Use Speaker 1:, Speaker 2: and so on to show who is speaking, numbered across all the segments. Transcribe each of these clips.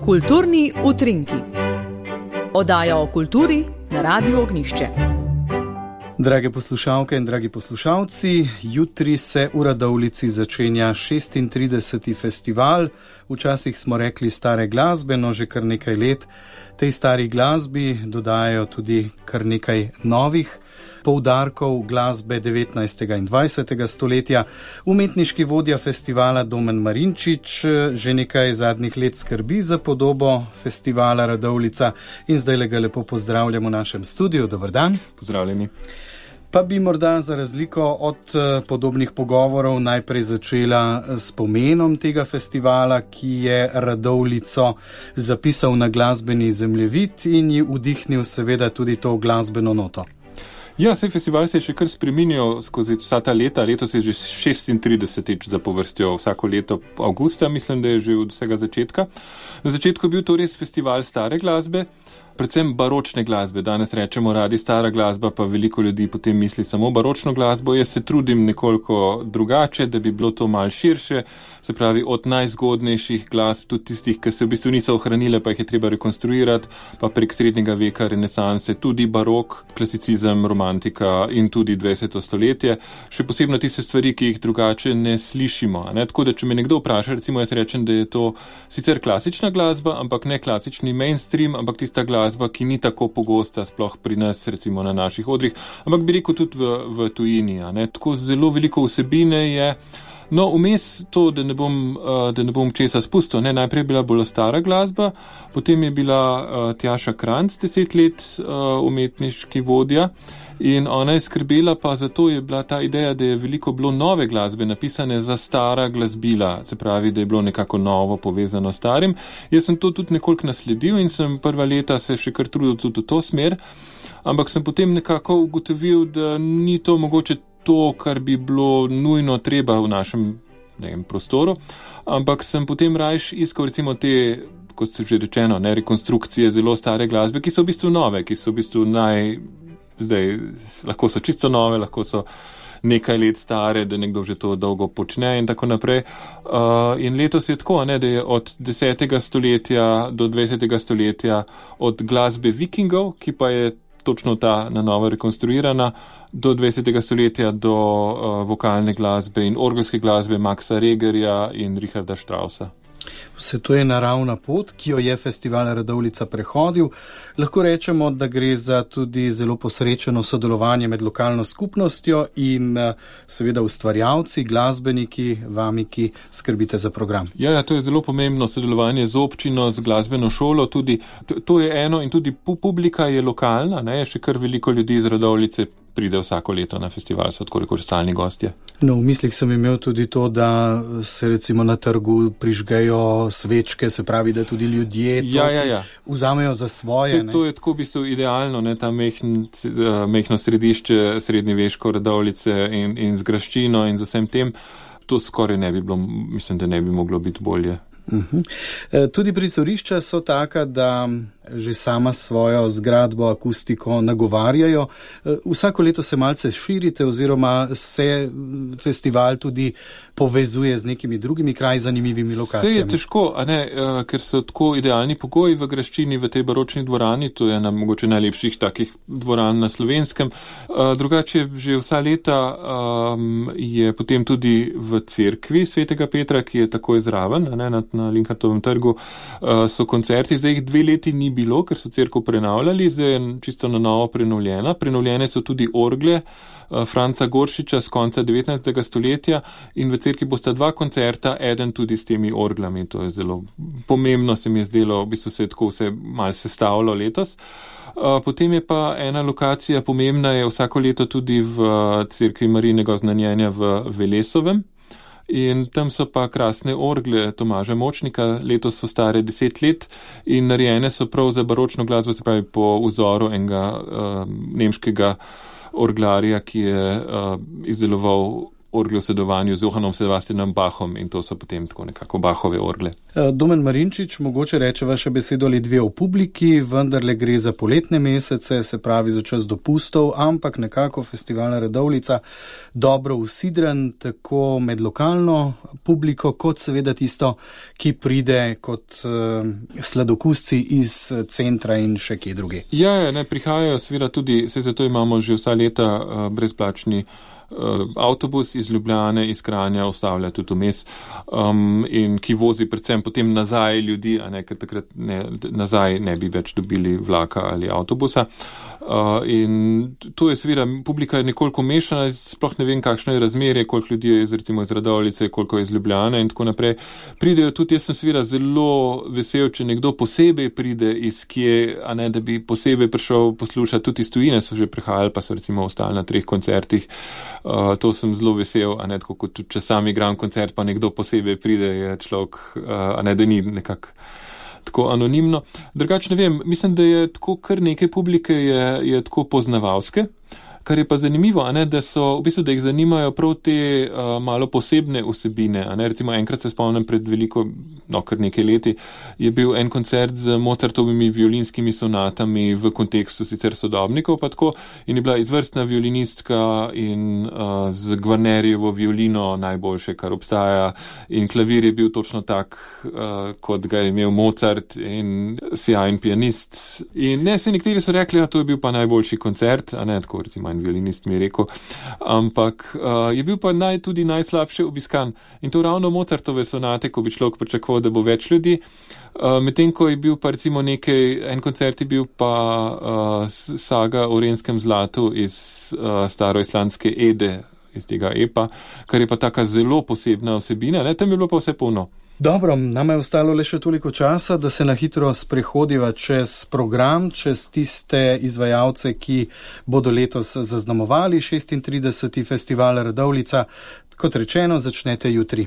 Speaker 1: Kulturni utrinki. Oddaja o kulturi na Radiu Ognjišče.
Speaker 2: Drage poslušalke in dragi poslušalci, jutri se v Radovljici začenja 36. festival. Včasih smo rekli stare glasbe, no že kar nekaj let tej stari glasbi dodajajo tudi kar nekaj novih poudarkov glasbe 19. in 20. stoletja. Umetniški vodja festivala Domen Marinčič že nekaj zadnjih let skrbi za podobo festivala Radovljica in zdaj ga lepo pozdravljamo v našem studiu. Dober dan.
Speaker 3: Pozdravljeni.
Speaker 2: Pa bi morda za razliko od podobnih pogovorov najprej začela s pomenom tega festivala, ki je Radovljico zapisal na glasbeni zemljevid in ji vdihnil seveda tudi to glasbeno noto.
Speaker 3: Ja, festival se je še kar spreminjal skozi vsa ta leta. Letos je že 36. zapovrstjo, vsako leto avgusta, mislim, da je že od vsega začetka. Na začetku je bil to res festival stare glasbe, predvsem baročne glasbe. Danes rečemo radi stara glasba, pa veliko ljudi potem misli samo baročno glasbo. Jaz se trudim nekoliko drugače, da bi bilo to malo širše, se pravi od najzgodnejših glasb, tudi tistih, ki se v bistvu niso ohranile, pa jih je treba rekonstruirati, pa prek srednjega veka, renesanse, tudi barok, klasicizem, romantika in tudi 20. stoletje. Še posebno tiste stvari, ki jih drugače ne slišimo. Ne? Tako da, če me nekdo vpraša, recimo jaz rečem, da je to sicer klasična glasba, ampak ne klasični mainstream, ampak tista glasba, ki ni tako pogosta, sploh pri nas, recimo na naših odrih, ampak bi rekel tudi v tujini. Ne? Tako zelo veliko vsebine je. No, vmes to, da ne bom česa spustil. Ne? Najprej je bila bolj stara glasba, potem je bila Tjaša Kranc 10 let umetniški vodja in ona je skrbela pa zato je bila ta ideja, da je veliko bilo nove glasbe napisane za stara glasbila, se pravi, da je bilo nekako novo povezano s starim. Jaz sem to tudi nekoliko nasledil in sem prva leta se še kar trudil tudi v to smer, ampak sem potem nekako ugotovil, da ni to mogoče to, kar bi bilo nujno treba v našem prostoru, ampak sem potem rajš iskal recimo te, kot se že rečeno, rekonstrukcije zelo stare glasbe, ki so v bistvu nove, ki so v bistvu lahko so čisto nove, lahko so nekaj let stare, da nekdo že to dolgo počne in tako naprej. In letos je tako, da je od 10. stoletja do 20. stoletja od glasbe vikingov, ki pa je točno ta na novo rekonstruirana, do 20. stoletja do vokalne glasbe in orgelske glasbe Maxa Regerja in Richarda Straussa.
Speaker 2: Vse to je naravna pot, ki jo je festival Radovljica prehodil. Lahko rečemo, da gre za tudi zelo posrečeno sodelovanje med lokalno skupnostjo in seveda ustvarjalci, glasbeniki, vami, ki skrbite za program.
Speaker 3: Ja, to je zelo pomembno sodelovanje z občino, z glasbeno šolo, tudi to je eno in tudi publika je lokalna, je še kar veliko ljudi iz Radovljice pride vsako leto na festival, so tako rekoč stalni gostje.
Speaker 2: No, v mislih sem imel tudi to, da se recimo na trgu prižgejo svečke, se pravi, da tudi ljudje vzamejo za svoje.
Speaker 3: To je tako v bistvu idealno, ta mehno središče srednjeveško Radovljice in z graščino in z vsem tem. To skoraj ne bi bilo, mislim, da ne bi moglo biti bolje.
Speaker 2: Tudi prizorišča so taka, da že sama svojo zgradbo, akustiko nagovarjajo. Vsako leto se malce širite oziroma se festival tudi povezuje z nekimi drugimi kraji, zanimivimi lokacijami.
Speaker 3: Vse je težko, ker so tako idealni pogoji v graščini, v tej baročni dvorani, to je mogoče najlepših takih dvoran na Slovenskem. Drugače že vsa leta je potem tudi v cerkvi Svetega Petra, ki je takoj zraven, na Linhartovem trgu, so koncerti, zdaj jih 2 leti ni bilo, ker so cerkev prenavljali, zdaj je čisto na novo prenovljena. Prenovljene so tudi orgle Franca Goršiča z konca 19. stoletja in v cerkvi bosta 2 koncerta, eden tudi s temi orglami. To je zelo pomembno, se mi je zdelo, v bistvu se je tako vse malo sestavilo letos. Potem je pa ena lokacija pomembna, je vsako leto tudi v cerkvi Marijinega oznanjenja v Velesovem. In tam so pa krasne orgle Tomaža Močnika, letos so stare 10 let in narejene so prav za baročno glasbo, se pravi po vzoru enega nemškega orglarja, ki je izdeloval orgle v sodelovanju z Johannom Sebastianom Bachom in to so potem tako nekako Bachove orgle.
Speaker 2: Domen Marinčič, mogoče rečeva še besedo ali dve o publiki, vendarle gre za poletne mesece, se pravi za čas dopustov, ampak nekako festival Radovljica dobro usidren tako med lokalno publiko, kot seveda tisto, ki pride kot sladokusci iz centra in še kje druge.
Speaker 3: Ja, ne prihajajo seveda tudi, zato imamo že vsa leta brezplačni avtobus iz Ljubljane, iz Kranja, ustavlja tudi vmes, in ki vozi predvsem potem nazaj ljudi, a ne, ker takrat nazaj ne bi več dobili vlaka ali avtobusa. In to je seveda, publika je nekoliko mešana, sploh ne vem, kakšno je razmerje, koliko ljudi je recimo iz Radovljice, koliko je iz Ljubljane in tako naprej. Pridejo tudi, jaz sem seveda zelo vesel, če nekdo posebej pride iz kje, a ne, da bi posebej prišel poslušati, tudi iz tujine so že prihajali, pa so recimo ostali na 3 koncertih. To sem zelo vesel, a ne, tako kot tudi, če sam igram koncert, pa nekdo posebej pride, je človek, a ne, da ni nekako tako anonimno. Drugače ne vem, mislim, da je tako kar nekaj publike je tako poznavalske, kar je pa zanimivo, a ne, da so, v bistvu, da jih zanimajo prav te malo posebne vsebine, a ne, recimo enkrat se spomnim pred veliko, kar nekaj leti, je bil en koncert z Mozartovimi violinskimi sonatami v kontekstu sicer sodobnikov, pa tako, in je bila izvrstna violinistka in z Gvarnerjevo violino najboljše, kar obstaja, in klavir je bil točno tak, kot ga je imel Mozart in sjajen pianist. In ne, se nekateri so rekli, to je bil pa najboljši koncert, a ne, tako recimo violinist mi je rekel, ampak je bil pa tudi najslabše obiskan. In to ravno Mozartove sonate, ko bi človek pričakoval, da bo več ljudi. Medtem, ko je bil pa recimo en koncert je bil pa saga o Renskem zlatu iz staroislandske Ede, iz tega epa, kar je pa taka zelo posebna vsebina, ne, tam je bilo pa vse polno.
Speaker 2: Dobro, nama je ostalo le še toliko časa, da se na hitro sprehodiva čez program, čez tiste izvajalce, ki bodo letos zaznamovali 36. festival Radovljica. Kot rečeno, začnete jutri.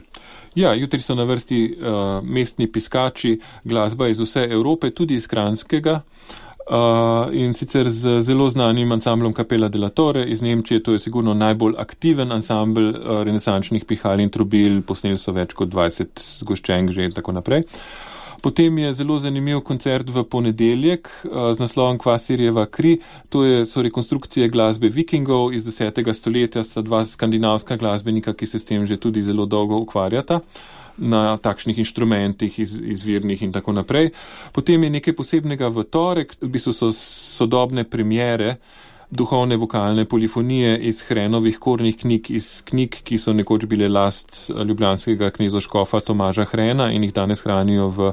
Speaker 3: Ja, jutri so na vrsti mestni piskači, glasba iz vse Evrope, tudi iz Kranjskega. In sicer z zelo znanim ansamblom Capella della Torre iz Nemčije, to je sigurno najbolj aktiven ansambl renesančnih pihal in trobil, posneli so več kot 20 zgoščenk že in tako naprej. Potem je zelo zanimiv koncert v ponedeljek z naslovom Kvasirjeva kri, so rekonstrukcije glasbe Vikingov iz 10. stoletja, sta 2 skandinavska glasbenika, ki se s tem že tudi zelo dolgo ukvarjata na takšnih inštrumentih izvirnih in tako naprej. Potem je nekaj posebnega v torek, v bistvu so sodobne premiere duhovne vokalne polifonije iz Hrenovih kornih knjig, iz knjig, ki so nekoč bile last ljubljanskega knezoškofa Tomaža Hrena in jih danes hranijo v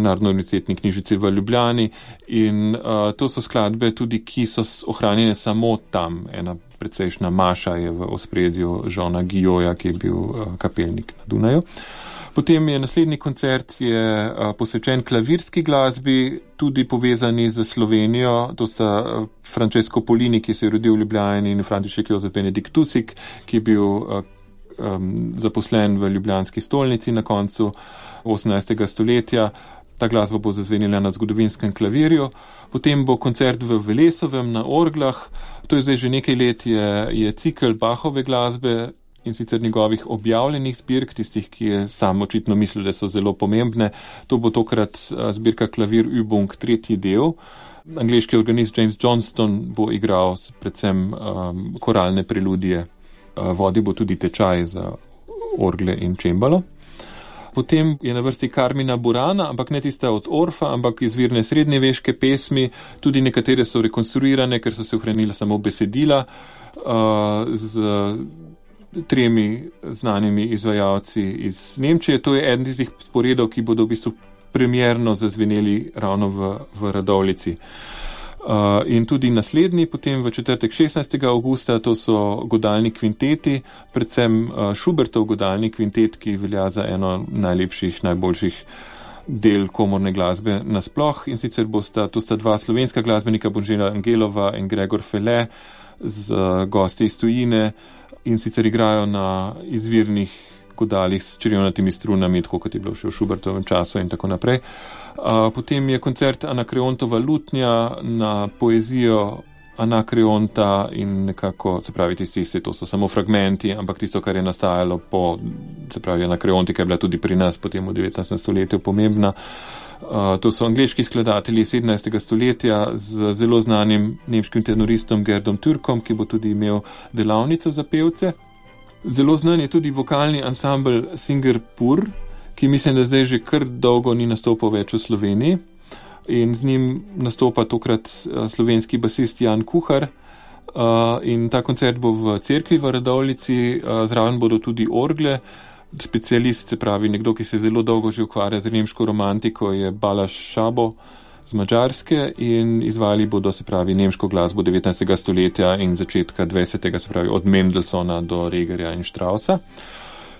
Speaker 3: Narodno-univerzitetni knjižnici v Ljubljani. In to so skladbe tudi, ki so ohranjene samo tam. Ena precejšnja maša je v ospredju Žona Gijoja, ki je bil kapelnik na Dunaju. Potem je naslednji koncert posvečen klavirski glasbi, tudi povezani z Slovenijo. To sta Francesco Polini, ki se je rodil v Ljubljani, in František Jozef Benedikt Tusik, ki je bil zaposlen v ljubljanski stolnici na koncu 18. stoletja. Ta glasba bo zazvenila na zgodovinskem klavirju. Potem bo koncert v Velesovem na orglah. To je zdaj že nekaj let, je cikel Bachove glasbe, in sicer njegovih objavljenih zbirk, tistih, ki je sam očitno mislil, da so zelo pomembne. To bo tokrat zbirka Klavir Übung, 3. del. Angleški organist James Johnston bo igral predvsem koralne preludije. Vodil bo tudi tečaj za orgle in čembalo. Potem je na vrsti Carmina Burana, ampak ne tista od Orfa, ampak izvirne srednjeveške pesmi. Tudi nekatere so rekonstruirane, ker so se ohranila samo besedila, z 3 znanimi izvajalci iz Nemčije. To je eden tistih sporedov, ki bodo v bistvu premierno zazveneli ravno v Radovljici. In tudi naslednji, potem v četrtek 16. avgusta, to so godalni kvinteti, predvsem Schubertov godalni kvintet, ki velja za eno najlepših, najboljših del komorne glasbe nasploh. In sicer to sta 2 slovenska glasbenika, Božena Angelova in Gregor Fele, z gosti iz tujine, in sicer igrajo na izvirnih godalih s črevnatimi strunami, tako kot je bilo še v Schubertovem času in tako naprej. Potem je koncert Anakreontova lutnja na poezijo Anakreonta in nekako, se pravi, to so samo fragmenti, ampak tisto, kar je nastajalo se pravi, Anakreontika je bila tudi pri nas potem v 19. stoletju pomembna. To so angleški skladatelji 17. stoletja z zelo znanim nemškim tenoristom Gerdom Türkom, ki bo tudi imel delavnico za pevce. Zelo znan je tudi vokalni ansambel Singerpur, ki mislim, da zdaj že kar dolgo ni nastopal več v Sloveniji. In z njim nastopa tokrat slovenski basist Jan Kuhar. In ta koncert bo v cerkvi v Radovljici, zraven bodo tudi orgle. Specialist, se pravi nekdo, ki se zelo dolgo že ukvarja z nemško romantiko, je Balaš Šabo z Madžarske in izvajali bodo, se pravi, nemško glasbo 19. stoletja in začetka 20. se pravi od Mendelssohna do Regerja in Straussa.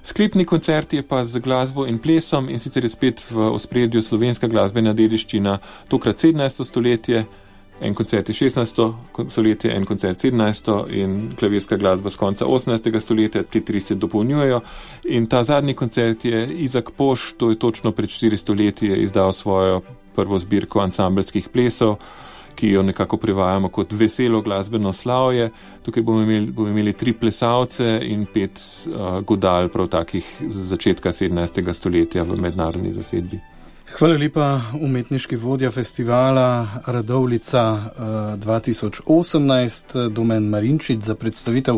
Speaker 3: Sklepni koncert je pa z glasbo in plesom in sicer je spet v ospredju slovenska glasbena dediščina, tokrat 17. stoletje, en koncert je 16. stoletje, en koncert 17. in klavirska glasba z konca 18. stoletja, ti tri se dopolnjujejo. In ta zadnji koncert je Izak Poš, to je točno pred 400 leti, je izdal svojo prvo zbirko ansambelskih plesov, ki jo nekako prevajamo kot veselo glasbeno slavje. Tukaj bomo imeli 3 plesalce in 5 godal, prav takih z začetka 17. stoletja v mednarodni zasedbi.
Speaker 2: Hvala lepa, umetniški vodja festivala Radovljica 2018, Domen Marinčič, za predstavitev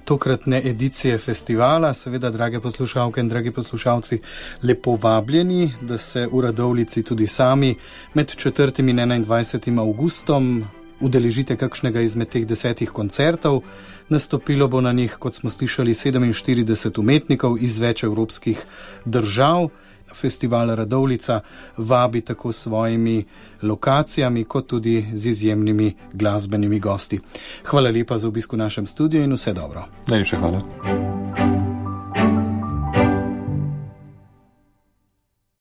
Speaker 2: tokratne edicije festivala. Seveda, drage poslušalke in dragi poslušalci, lepo vabljeni, da se v Radovljici tudi sami med 4. in 21. avgustom udeležite kakšnega izmed teh 10 koncertov. Nastopilo bo na njih, kot smo slišali, 47 umetnikov iz več evropskih držav. Festival Radovljica vabi tako s svojimi lokacijami, kot tudi z izjemnimi glasbenimi gosti. Hvala lepa za obisk v našem studiu in vse dobro.
Speaker 3: Najlepša hvala.